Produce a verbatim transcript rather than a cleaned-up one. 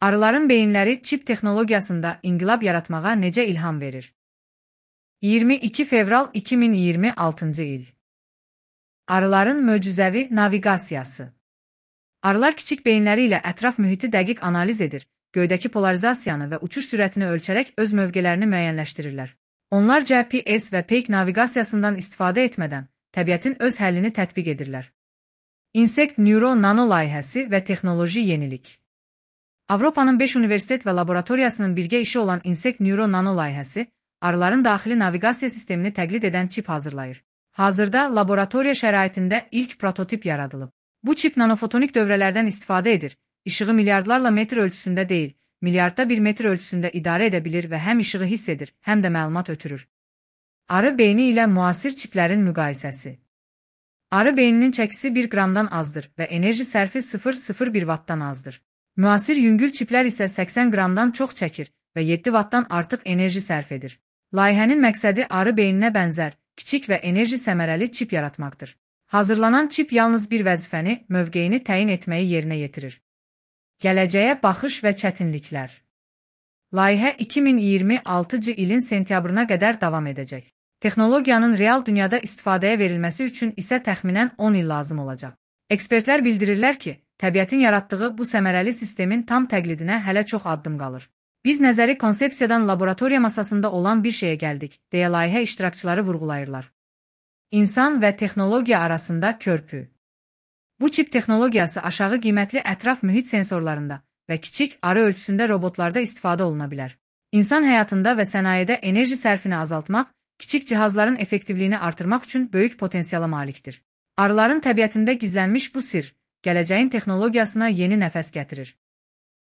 Arıların beyinləri çip texnologiyasında inqilab yaratmağa necə ilham verir? iyirmi iki fevral iki min iyirmi altıncı il. Arıların möcüzəvi naviqasiyası. Arılar kiçik beyinləri ilə ətraf mühiti dəqiq analiz edir, göydəki polarizasiyanı və uçuş sürətini ölçərək öz mövqelərini müəyyənləşdirirlər. Onlar G P S və peyk naviqasiyasından istifadə etmədən təbiətin öz həllini tətbiq edirlər. Insect Neuro Nano layihəsi və texnoloji yenilik. Avropanın beş universitet və laboratoriyasının birgə işi olan Insect Neuro Nano layihəsi, arıların daxili naviqasiya sistemini təqlid edən çip hazırlayır. Hazırda laboratoriya şəraitində ilk prototip yaradılıb. Bu çip nanofotonik dövrələrdən istifadə edir, işığı milyardlarla metr ölçüsündə deyil, milyardda bir metr ölçüsündə idarə edə bilir və həm işığı hiss edir, həm də məlumat ötürür. Arı beyni ilə müasir çiplərin müqayisəsi. Arı beyninin çəkisi bir qramdan azdır və enerji sərfi sıfır nöqtə sıfır bir wattdan azdır. Müasir yüngül çiplər isə səksən qramdan çox çəkir və yeddi wattdan artıq enerji sərf edir. Layihənin məqsədi arı beyninə bənzər, kiçik və enerji səmərəli çip yaratmaqdır. Hazırlanan çip yalnız bir vəzifəni, mövqeyini təyin etməyi yerinə yetirir. Gələcəyə baxış və çətinliklər. Layihə iki min iyirmi altıncı ilin sentyabrına qədər davam edəcək. Texnologiyanın real dünyada istifadəyə verilməsi üçün isə təxminən on il lazım olacaq. Ekspertlər bildirirlər ki, təbiətin yaratdığı bu səmərəli sistemin tam təqlidinə hələ çox addım qalır. Biz nəzəri konsepsiyadan laboratoriya masasında olan bir şeyə gəldik, deyə layihə iştirakçıları vurğulayırlar. İnsan və texnologiya arasında körpü. Bu çip texnologiyası aşağı qiymətli ətraf mühit sensorlarında və kiçik arı ölçüsündə robotlarda istifadə oluna bilər. İnsan həyatında və sənayedə enerji sərfini azaltmaq, kiçik cihazların effektivliyini artırmaq üçün böyük potensiala malikdir. Arıların təbiətində gizlənmiş bu sirr, gələcəyin texnologiyasına yeni nəfəs gətirir.